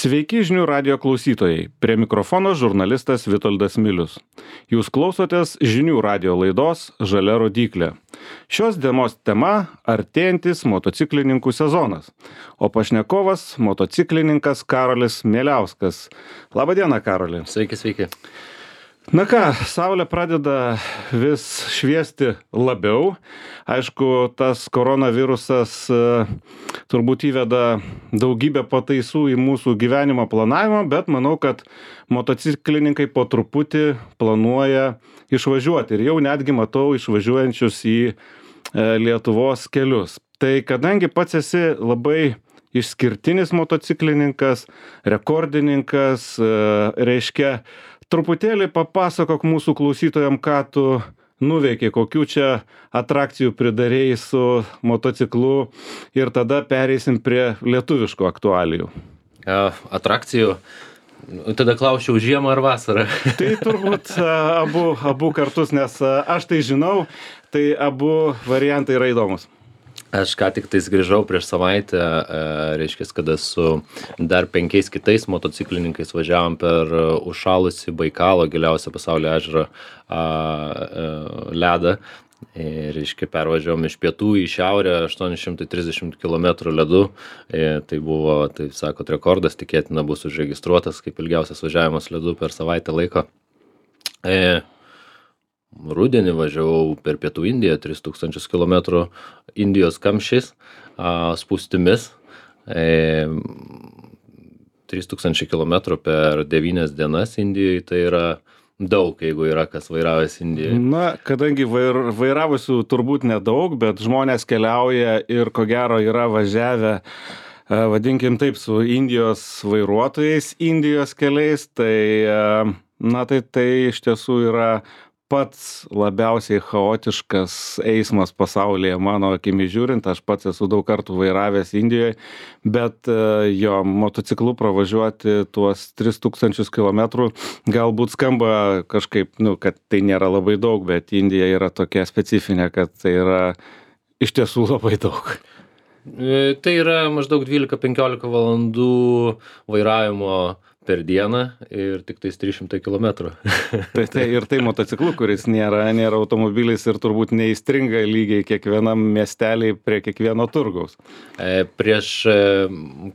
Sveiki žinių radijo klausytojai. Prie mikrofono žurnalistas Vitoldas Milius. Jūs klausotės žinių radijo laidos Žalia rodyklė. Šios dienos tema – artėjantis motociklininkų sezonas. O pašnekovas – motociklininkas Karolis Mieliauskas. Labadiena, Karoli. Sveiki, sveiki. Na ką, saulė pradeda vis šviesti labiau. Aišku, tas koronavirusas turbūt įveda daugybę pataisų į mūsų gyvenimo planavimą, bet manau, kad motociklininkai po truputį planuoja išvažiuoti. Ir jau netgi matau išvažiuojančius į Lietuvos kelius. Tai kadangi pats esi labai išskirtinis motociklininkas, rekordininkas, reiškia, truputėlį papasakok mūsų klausytojam, ką tu nuveikė, kokių čia atrakcijų pridarėjai su motociklu ir tada pereisim prie lietuviškų aktualijų. Atrakcijų. Tada klausčiau, žiemą ar vasarą? Tai turbūt abu kartus, nes aš tai žinau, tai abu variantai yra įdomus. Aš ką tik tais grįžau prieš savaitę, reiškia, kada su dar 5 kitais motociklininkais važiavom per užšalusį Baikalo giliausią pasaulio ežerą ledą. Reiškia, pervažiavom iš pietų į šiaurę 830 km ledu. Tai buvo, taip sakot, rekordas, tikėtina bus užregistruotas kaip ilgiausias važiavimas ledu per savaitę laiko. Rudenį važiavau per pietų Indiją 3000 km Indijos kamščiais, spūstimis, 3000 km per 9 dienas Indijoje, tai yra daug, jeigu yra kas vairavęs Indijoje. Na, kadangi vairavusių turbūt nedaug, bet žmonės keliauja ir ko gero yra važiavę, vadinkim taip, su Indijos vairuotojais, Indijos keliais, tai, na, tai iš tiesų yra pats labiausiai chaotiškas eismas pasaulyje, mano akimi žiūrint. Aš pats esu daug kartų vairavęs Indijoje, bet jo motociklu pravažiuoti tuos 3000 km galbūt skamba kažkaip, kad tai nėra labai daug, bet Indija yra tokia specifinė, kad tai yra iš tiesų labai daug. Tai yra maždaug 12-15 valandų vairavimo per dieną ir tik tais 300 km. Ir tai motociklu, kuris nėra automobilis ir turbūt neįstringa lygiai kiekvienam miestelį prie kiekvieno turgaus. Prieš,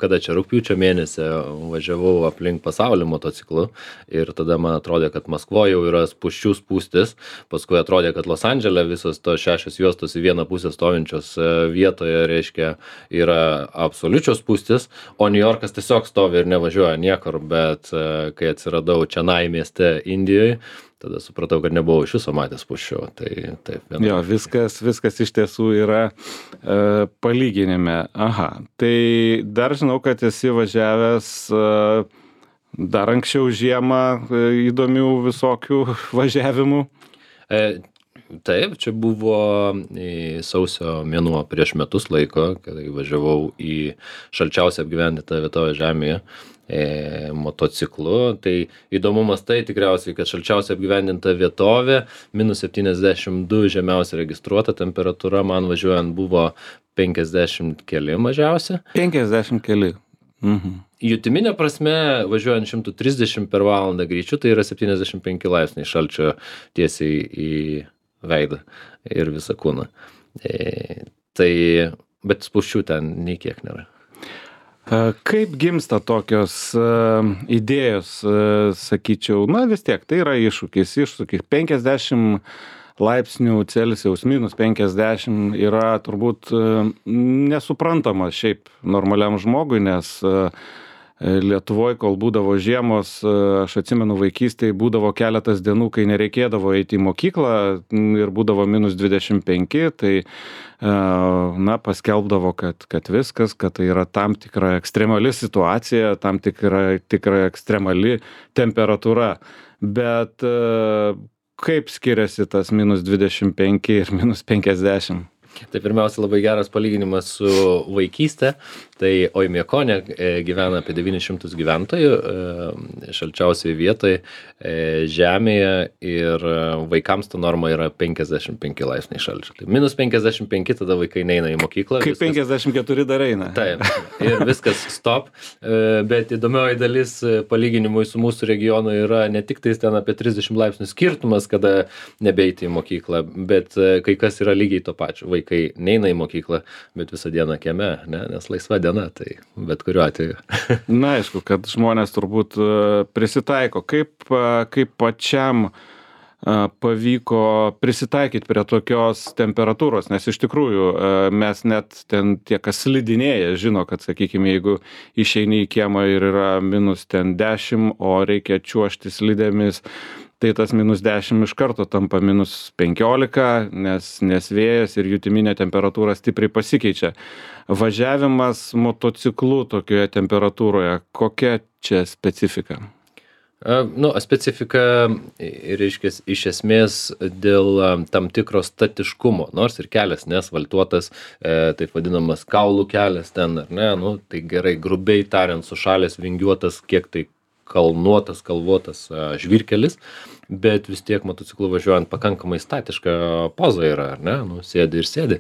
kada čia rugpjūčio mėnesį važiavau aplink pasaulį motociklu ir tada man atrodė, kad Maskvoje jau yra spūsčių spūstis, paskui atrodė, kad Los Andžele visos to 6 juostos į vieną pusę stovinčios vietoje, reiškia, yra absoliučios spūstis, o New Yorkas tiesiog stovi ir nevažiuoja niekur, bet kai atsiradau Čenai mieste Indijoje, tada supratau, kad nebuvau iš viso matęs spūsčių. Tai taip. Jo, viskas iš tiesų yra palyginime. Aha, tai dar žinau, kad esi važiavęs dar anksčiau žiemą įdomių visokių važiavimų. Taip, čia buvo sausio mėnuo prieš metus laiko, kai važiavau į šalčiausią apgyvendintą vietovę žemėje motociklu. Tai įdomumas tai tikriausiai, kad šalčiausia apgyvendinta vietovė, -72 žemiausia registruota temperatūra, man važiuojant buvo 50 keli mažiausia. 50 keli. Jutiminė prasme, važiuojant 130 per valandą greičiu, tai yra 75 laipsniai šalčio tiesiai į veidą ir visą kūną. Bet spūsčių ten nei kiek nėra. Kaip gimsta tokios idėjos, sakyčiau, na vis tiek, tai yra iššūkis. 50 laipsnių Celsijaus, -50 yra turbūt nesuprantama šiaip normaliam žmogui, nes Lietuvoje, kol būdavo žiemos, aš atsimenu vaikystėje, būdavo keletas dienų, kai nereikėdavo eiti į mokyklą ir būdavo -25, tai paskelbdavo, kad viskas, kad tai yra tam tikra ekstremali situacija, tam tikra ekstremali temperatūra. Bet kaip skiriasi tas -25 ir -50? Tai pirmiausia, labai geras palyginimas su vaikystė. Tai Oimiakone gyvena apie 900 gyventojų, šalčiausiai vietai žemėje ir vaikams ta norma yra 55 laipsniai šalčio. Tai minus 55 tada vaikai neina į mokyklą. Kaip 54 dar eina. Taip, ir viskas stop, bet įdomioji dalis palyginimui su mūsų regionu yra ne tik tais ten apie 30 laipsnių skirtumas, kada nebeiti į mokyklą, bet kai kas yra lygiai to pačio. Vaikai neina į mokyklą, bet visą dieną kieme, ne? Nes laisva diena, tai bet kuriuo atveju. Na, aišku, kad žmonės turbūt prisitaiko. Kaip pačiam pavyko prisitaikyti prie tokios temperatūros, nes iš tikrųjų mes net ten tie, kas slidinėja, žino, kad, sakykime, jeigu išeini į kiemą ir yra minus ten 10, o reikia čiuožti slidėmis, tai tas minus 10 iš karto tampa minus 15, nes vėjas ir jutiminė temperatūra stipriai pasikeičia. Važiavimas motociklu tokioje temperatūroje, kokia čia specifika? Specifika, reiškia, iš esmės dėl tam tikro statiškumo, nors ir kelias neasfaltuotas, taip vadinamas kaulų kelias ten, ar ne, tai gerai, grubiai tariant, sušalęs, vingiuotas, kiek tai kalvotas žvyrkelis, bet vis tiek motociklu važiuojant pakankamai statiška poza yra, ar ne, sėdi ir sėdi.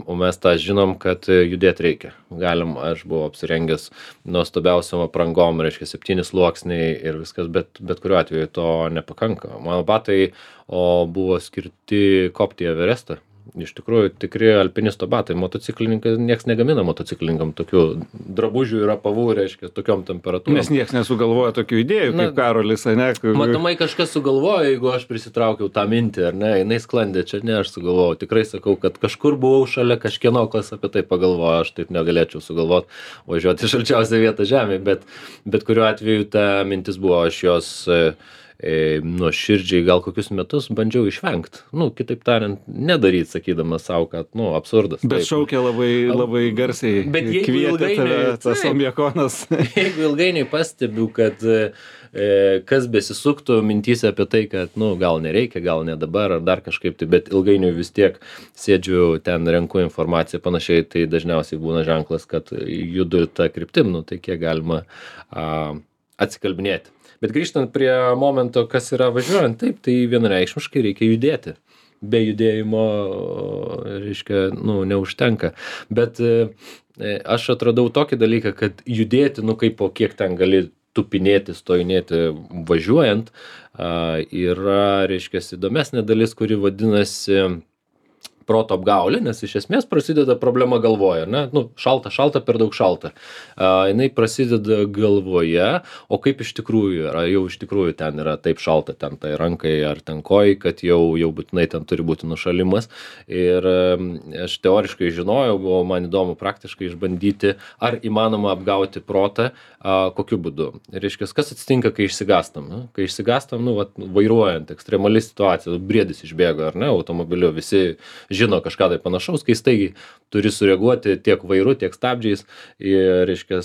O mes tą žinom, kad judėti reikia. Aš buvau apsirengęs nuostabiausiom aprangom, reiškia 7 sluoksniai ir viskas, bet kuriuo atveju to nepakanka. Mano batai buvo skirti kopti į Everestą. Iš tikrųjų, tikri alpinisto batai. Motociklininkai, nieks negamina motociklininkam tokių drabužių ir apavų, reiškia, tokiom temperatūrom. Nes nieks nesugalvoja tokių idėjų, kaip Karolis, ne? Matomai kažkas sugalvojo, jeigu aš prisitraukiau tą mintį, ar ne, jinai sklandė, čia ne aš sugalvojau. Tikrai sakau, kad kažkur buvau šalia kažkieno, kas apie tai pagalvojo, aš taip negalėčiau sugalvoti važiuoti šalčiausią vietą žemėje, bet kuriuo atveju ta mintis buvo, aš jos nuoširdžiai gal kokius metus bandžiau išvengti. Kitaip tariant, nedaryti, sakydamas savo, kad, absurdas. Bet šaukia labai garsiai. Bet jeigu ilgainiui, tas Oimiakonas. Jeigu ilgainiui pastebiu, kad kas besisuktų mintyse apie tai, kad, gal nereikia, gal ne dabar, ar dar kažkaip, bet ilgainiui vis tiek sėdžiu ten, renku informaciją panašiai, tai dažniausiai būna ženklas, kad judu tą kryptim, tai kiek galima atsikalbinėti. Bet grįžtant prie momento, kas yra važiuojant, taip, tai vienareikšmiškai reikia judėti. Be judėjimo, reiškia, neužtenka. Bet aš atradau tokį dalyką, kad judėti, kaip po kiek ten gali tupinėti, stojinėti važiuojant, yra, reiškia, įdomesnė dalis, kuri vadinasi proto apgaulė, nes iš esmės prasideda problema galvoje, ne? Šalta, per daug šalta. Jinai prasideda galvoje, o kaip iš tikrųjų yra, jau iš tikrųjų ten yra taip šalta, ten tai rankai ar ten kojai, kad jau būtinai ten turi būti nušalimas. Ir aš teoriškai žinojau, buvo man įdomu praktiškai išbandyti, ar įmanoma apgauti protą, kokiu būdu. Reiškia, kas atsitinka, kai išsigastam? Kai išsigastam, vairuojant, ekstremali situacija, briedis išbėgo, ar ne, automobiliu, visi žino kažką tai panašaus, kai staigiai turi sureaguoti tiek vairu, tiek stabdžiais ir, reiškia,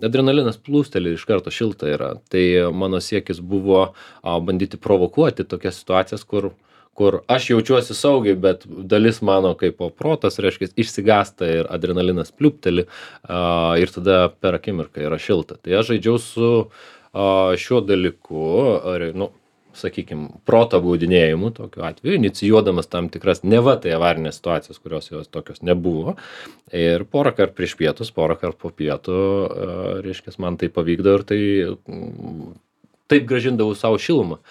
adrenalinas plūsteli, iš karto šilta yra. Tai mano siekis buvo bandyti provokuoti tokias situacijas, kur aš jaučiuosi saugiai, bet dalis mano kaip protas, reiškia, išsigasta ir adrenalinas pliūpteli ir tada per akimirką yra šilta. Tai aš žaidžiau su šiuo dalyku, sakykime, proto baudinėjimu tokiu atveju, inicijuodamas tam tikras neva tai avarinės situacijas, kurios jos tokios nebuvo. Ir porą kart prieš pietus, porą kart po pietų, reiškia, man tai pavykdavo ir taip grąžindavau savo šilumą.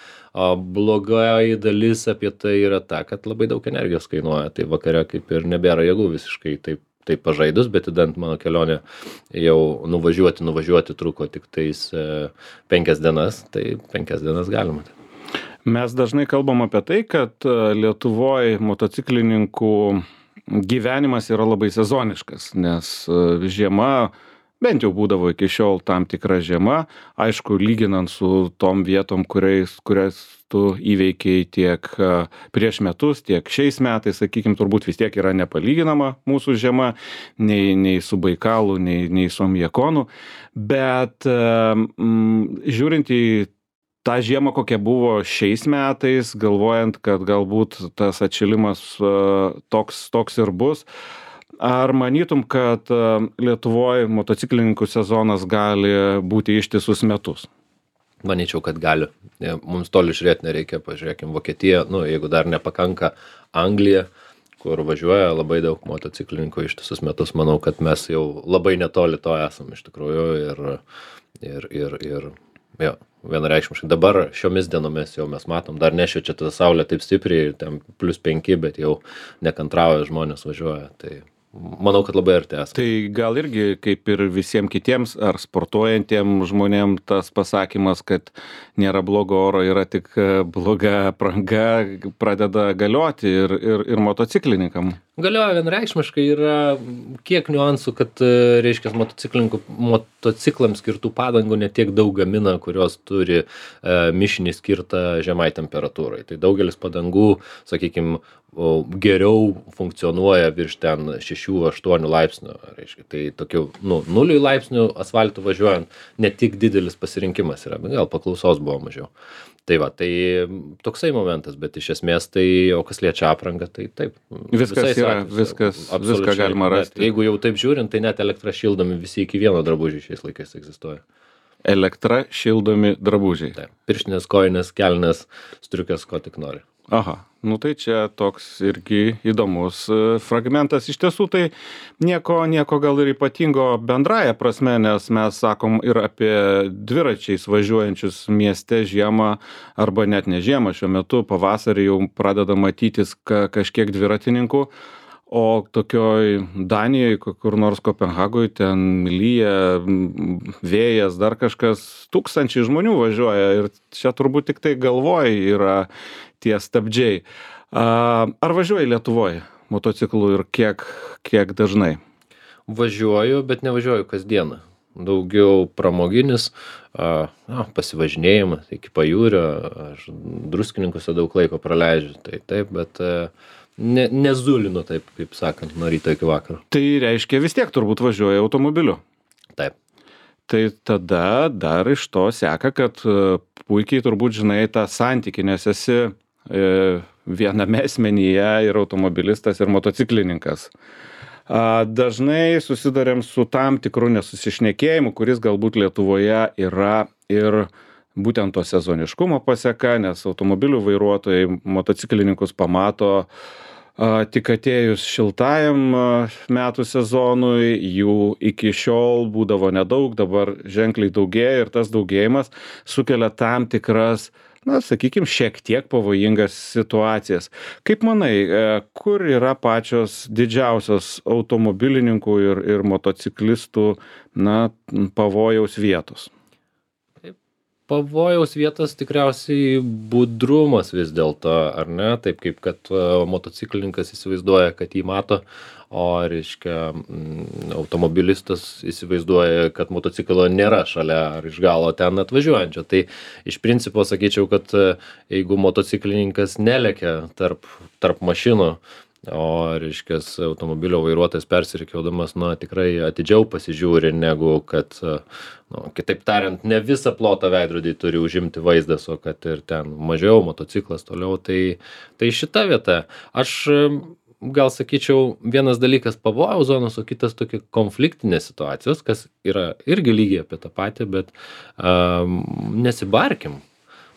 Blogai dalis apie tai yra ta, kad labai daug energijos kainuoja, tai vakare kaip ir nebėra jėgų visiškai taip pažaidus, bet įdant mano kelionė jau nuvažiuoti truko tik tais 5 dienas, tai 5 dienas galima. Mes dažnai kalbam apie tai, kad Lietuvoje motociklininkų gyvenimas yra labai sezoniškas, nes žiema, bent jau būdavo iki šiol tam tikra žiema, aišku, lyginant su tom vietom, kurias tu įveikiai tiek prieš metus, tiek šiais metais, sakykime, turbūt vis tiek yra nepalyginama mūsų žiema, nei su Baikalu, nei su Oimiakonu, bet žiūrint į tą žiemą, kokia buvo šiais metais, galvojant, kad galbūt tas atšilimas toks ir bus, ar manytum, kad Lietuvoje motociklininkų sezonas gali būti ištisus metus? Manyčiau, kad gali. Mums toli žiūrėti nereikia, pažiūrėkim Vokietiją, jeigu dar nepakanka Anglija, kur važiuoja labai daug motociklininkų ištisus metus, manau, kad mes jau labai netoli to esam iš tikrųjų ir jo, vienareikšmiškai. Dabar šiomis dienomis jau mes matom, dar nešviečia ta saulė taip stipriai, ten +5, bet jau nekantrauja žmonės važiuoja, tai manau, kad labai arti esame. Tai gal irgi kaip ir visiems kitiems ar sportuojantiem žmonėm tas pasakymas, kad nėra blogo oro, yra tik bloga apranga, pradeda galioti ir motociklininkam. Galioja vienareikšmiškai, yra kiek niuansų, kad, reiškia, motociklams skirtų padangų ne tiek daug gamina, kurios turi mišinį skirtą žemai temperatūrai. Tai daugelis padangų, sakykime, geriau funkcionuoja virš ten 6-8 laipsnių. Reiškia, tai tokių 0 laipsnių asfaltų važiuojant ne tik didelis pasirinkimas yra, bet gal paklausos buvo mažiau. Tai va, tai toksai momentas, bet iš esmės tai, o kas liečia aprangą, tai taip. Viskas yra, viską galima rasti. Jeigu jau taip žiūrint, tai net elektra šildomi visi iki vieno drabužiai šiais laikais egzistuoja. Elektra šildomi drabužiai. Taip, pirštinės, kojinės, kelnės, striukės, ko tik nori. Aha, tai čia toks irgi įdomus fragmentas. Iš tiesų tai nieko gal ir ypatingo bendraja prasme, nes mes sakom ir apie dviračiais važiuojančius mieste žiemą, arba net ne žiemą, šiuo metu pavasarį jau pradeda matytis kažkiek dviratininkų. O tokioj Danijoj, kur nors Kopenhagoj, ten lyja, vėjas, dar kažkas, tūkstančiai žmonių važiuoja ir čia turbūt tik tai galvoj yra tie stabdžiai. Ar važiuoji Lietuvoje motociklu ir kiek dažnai? Važiuoju, bet nevažiuoju kasdieną. Daugiau pramoginis, pasivažinėjimas iki pajūrio, aš druskininkuose daug laiko praleidžiu, tai taip, bet nezulinu taip, kaip sakant, nuo ryto iki vakaro. Tai reiškia vis tiek turbūt važiuoja automobiliu. Taip. Tai tada dar iš to seka, kad puikiai turbūt žinai tą santykį, nes esi viename asmenyje ir automobilistas, ir motociklininkas. Dažnai susidarėm su tam tikru nesusišnekėjimu, kuris galbūt Lietuvoje yra ir būtent to sezoniškumo paseka, nes automobilių vairuotojai motociklininkus pamato tik atėjus šiltajam metų sezonui, jų iki šiol būdavo nedaug, dabar ženkliai daugėja ir tas daugėjimas sukelia tam tikras, sakykime, šiek tiek pavojingas situacijas. Kaip manai, kur yra pačios didžiausios automobilininkų ir motociklistų pavojaus vietos? Pavojaus vietos tikriausiai budrumas vis dėlto, ar ne? Taip kaip kad motociklininkas įsivaizduoja, kad jį mato, o reiškia automobilistas įsivaizduoja, kad motociklo nėra šalia ar iš galo ten atvažiuojančio. Tai iš principo sakyčiau, kad jeigu motociklininkas nelekia tarp mašinų, o reiškia automobilio vairuotojas persirikiodamas, tikrai atidžiau pasižiūri, negu kad, kitaip tariant, ne visą plotą veidrodį turi užimti vaizdas, o kad ir ten mažiau motociklas toliau, tai šita vieta. Aš gal sakyčiau, vienas dalykas pavojaus zonos, o kitas tokia konfliktinės situacijos, kas yra irgi lygiai apie tą patį, bet nesibarkim.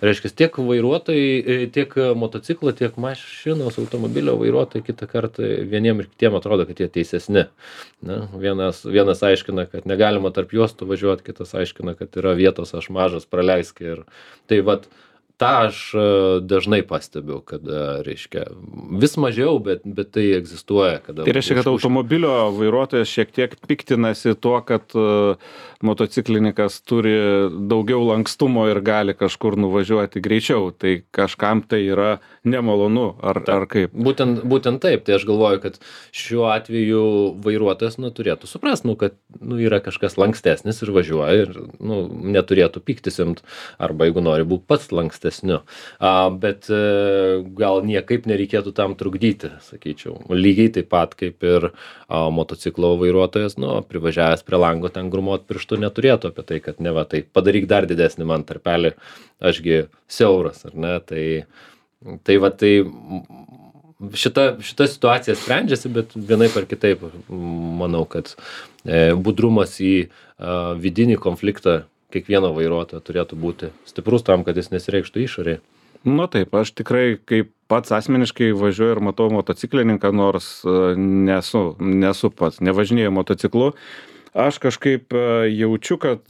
Reiškia, tiek vairuotojai, tiek motociklo, tiek mašinos, automobilio vairuotojai kitą kartą vieniem ir kitiem atrodo, kad jie teisesni. Vienas aiškina, kad negalima tarp juostų važiuoti, kitas aiškina, kad yra vietos, aš mažas, praleisk. Ir tai vat, tą aš dažnai pastebiu, kad, reiškia, vis mažiau, bet tai egzistuoja. Tai reiškia, kad automobilio vairuotojas šiek tiek piktinasi tuo, kad motociklininkas turi daugiau lankstumo ir gali kažkur nuvažiuoti greičiau. Tai kažkam tai yra nemalonu, ar kaip? Būtent taip. Tai aš galvoju, kad šiuo atveju vairuotojas turėtų suprasti, kad yra kažkas lankstesnis ir važiuoja ir neturėtų piktis imt, arba jeigu nori būti pats lankstesnis. Bet gal niekaip nereikėtų tam trukdyti, sakyčiau. Lygiai taip pat kaip ir motociklo vairuotojas, privažiavęs prie lango ten grumot pirštų neturėtų apie tai, kad neva tai padaryk dar didesnį man tarpelį, ašgi siauras, ar ne? Tai šita situacija sprendžiasi, bet vienaip ar kitaip manau, kad budrumas į vidinį konfliktą kiekvieno vairuotojo turėtų būti stiprus tam, kad jis nesireikštų išorėje. Nu taip, aš tikrai kaip pats asmeniškai važiuoju ir matau motociklininką, nors nesu pats, nevažinėju motociklu. Aš kažkaip jaučiu, kad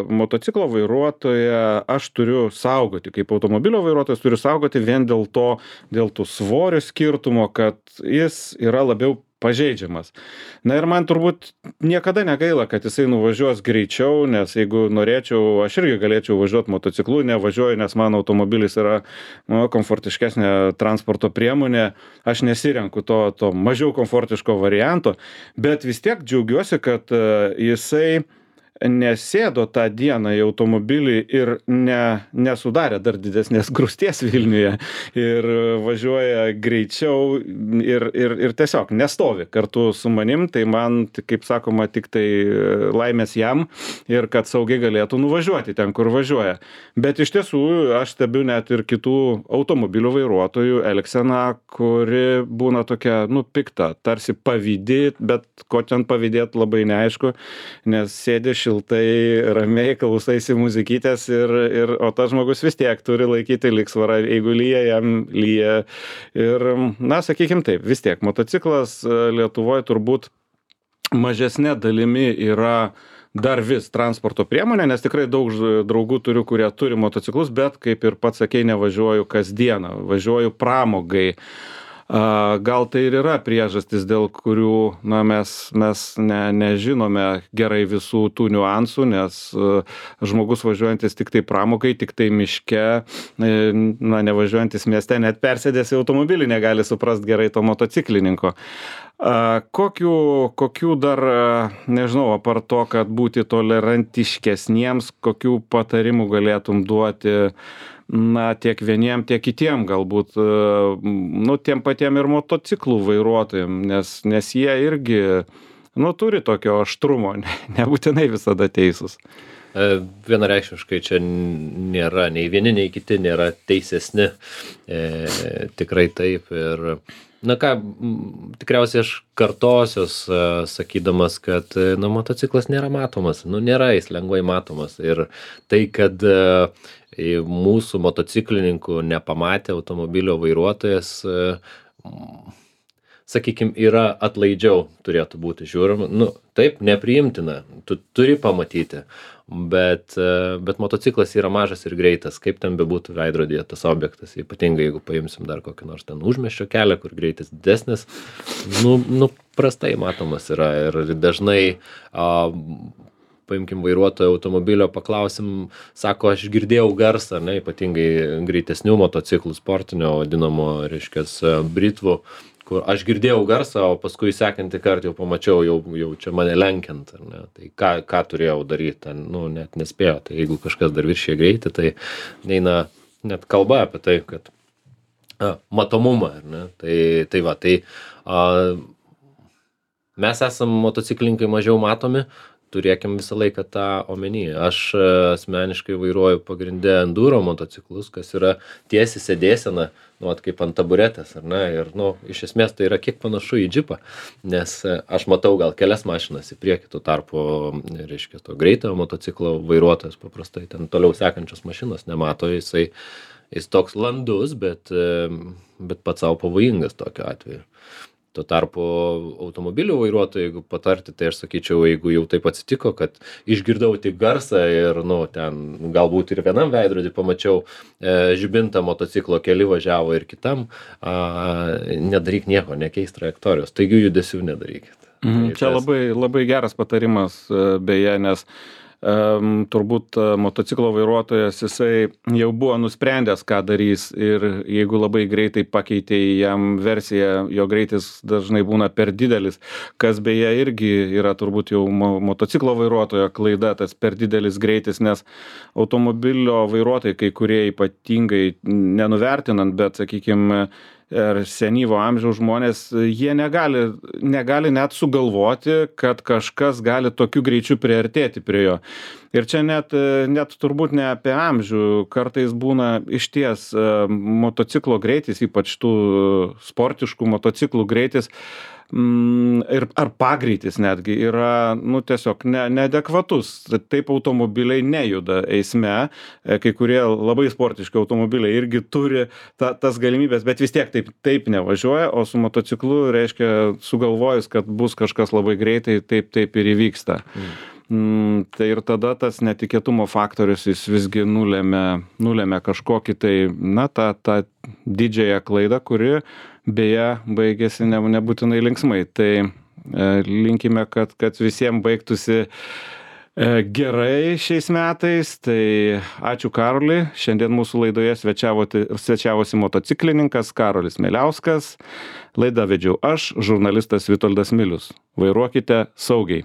motociklo vairuotoją aš turiu saugoti, kaip automobilio vairuotojas turiu saugoti vien dėl tų svorio skirtumo, kad jis yra labiau pažeidžiamas. Na ir man turbūt niekada negaila, kad jisai nuvažiuos greičiau, nes jeigu norėčiau, aš irgi galėčiau važiuoti motociklu, nevažiuoju, nes mano automobilis yra komfortiškesnė transporto priemonė, aš nesirenku to mažiau komfortiško varianto, bet vis tiek džiaugiuosi, kad jisai nesėdo tą dieną į automobilį ir nesudarė dar didesnės grūsties Vilniuje ir važiuoja greičiau ir tiesiog nestovi kartu su manim, tai man, kaip sakoma, tik tai laimės jam ir kad saugiai galėtų nuvažiuoti ten, kur važiuoja. Bet iš tiesų aš stebiu net ir kitų automobilių vairuotojų elgseną, kuri būna tokia, pikta, tarsi pavydi, bet ko ten pavydėt labai neaišku, nes sėdi šiltai, ramiai, klausaisi muzikytės o tas žmogus vis tiek turi laikyti lygsvarą, jeigu lyja, jam lyja. Ir, sakykim taip, vis tiek motociklas Lietuvoje turbūt mažesnė dalimi yra dar vis transporto priemonė, nes tikrai daug draugų turiu, kurie turi motociklus, bet kaip ir pats sakei, nevažiuoju kasdieną, važiuoju pramogai. Gal tai ir yra priežastis, dėl kurių mes nežinome gerai visų tų niuansų, nes žmogus važiuojantis tik tai pramogai, tik tai miške, nevažiuojantis mieste, net persėdęs į automobilį negali suprast gerai to motociklininko. Kokių dar, nežinau, apart to, kad būti tolerantiškesniems, kokių patarimų galėtum duoti tiek vieniem, tiek kitiem galbūt, tiem patiem ir motociklų vairuotojim, nes jie irgi, turi tokio aštrumo, nebūtinai visada teisūs. Vienareikšmiškai čia nėra, nei vieni, nei kiti nėra teisesni, tikrai taip ir tikriausiai aš kartosios, sakydamas, kad motociklas nėra matomas, nėra jis lengvai matomas ir tai, kad mūsų motociklininkų nepamatė automobilio vairuotojas, sakykime, yra atlaidžiau turėtų būti žiūrima. Taip, nepriimtina, tu turi pamatyti, bet motociklas yra mažas ir greitas, kaip ten bebūtų veidrodyje tas objektas, ypatingai jeigu paimsim dar kokį nors ten užmiesčio kelią, kur greitis didesnis, prastai matomas yra ir dažnai paimkim vairuotojo automobilio, paklausim, sako, aš girdėjau garsą, ypatingai greitesnių motociklų, sportinio vadinamo, reiškias, britvų, kur aš girdėjau garsą, o paskui sekantį kartą jau pamačiau, jau čia mane lenkiant, tai ką turėjau daryti, net nespėjo, tai jeigu kažkas dar viršė greitį, tai neina net kalba apie tai, kad matomumą, tai mes esam motociklininkai mažiau matomi, turėkim visą laiką tą omenyje. Aš asmeniškai vairuoju pagrindę enduro motociklus, kas yra tiesi sėdėsena, kaip ant taburetės, ir, iš esmės tai yra kiek panašu į džipą, nes aš matau gal kelias mašinas į priekį, tuo tarpu, reiškia, to greitojo motociklo vairuotojas paprastai ten toliau sekančios mašinos nemato, jis toks landus, bet pats savo pavojingas tokiu atveju. Tuo tarpu automobilių vairuotojai, jeigu patarti, tai aš sakyčiau, jeigu jau taip atsitiko, kad išgirdau tik garsą ir, ten galbūt ir vienam veidrodį pamačiau žibintą motociklo keli važiavo ir kitam, nedaryk nieko, nekeist trajektorijos, taigi judesių nedarykit. Čia labai geras patarimas, beje, nes turbūt motociklo vairuotojas, jisai jau buvo nusprendęs, ką darys ir jeigu labai greitai pakeitė jam versiją, jo greitis dažnai būna per didelis, kas beje irgi yra turbūt jau motociklo vairuotojo klaida, tas per didelis greitis, nes automobilio vairuotojai, kai kurie ypatingai nenuvertinant, bet sakykime, ir senyvo amžiaus žmonės, jie negali net sugalvoti, kad kažkas gali tokiu greičiu priartėti prie jo. Ir čia net turbūt ne apie amžių, kartais būna išties motociklo greitis, ypač tų sportiškų motociklų greitis, ar pagreitis netgi yra, tiesiog neadekvatus. Taip automobiliai nejuda eisme, kai kurie labai sportiški automobiliai irgi turi tas galimybės, bet vis tiek taip nevažiuoja, o su motociklu reiškia sugalvojus, kad bus kažkas labai greitai, taip ir įvyksta. Tai ir tada tas netikėtumo faktorius jis visgi nulėmė kažkokį tą didžiąją klaidą, kuri beje baigėsi nebūtinai linksmai. Tai linkime, kad visiems baigtųsi gerai šiais metais. Tai ačiū Karoliui. Šiandien mūsų laidoje svečiavosi motociklininkas Karolis Mieliauskas. Laidą vedžiau aš, žurnalistas Vitoldas Milius. Vairuokite saugiai.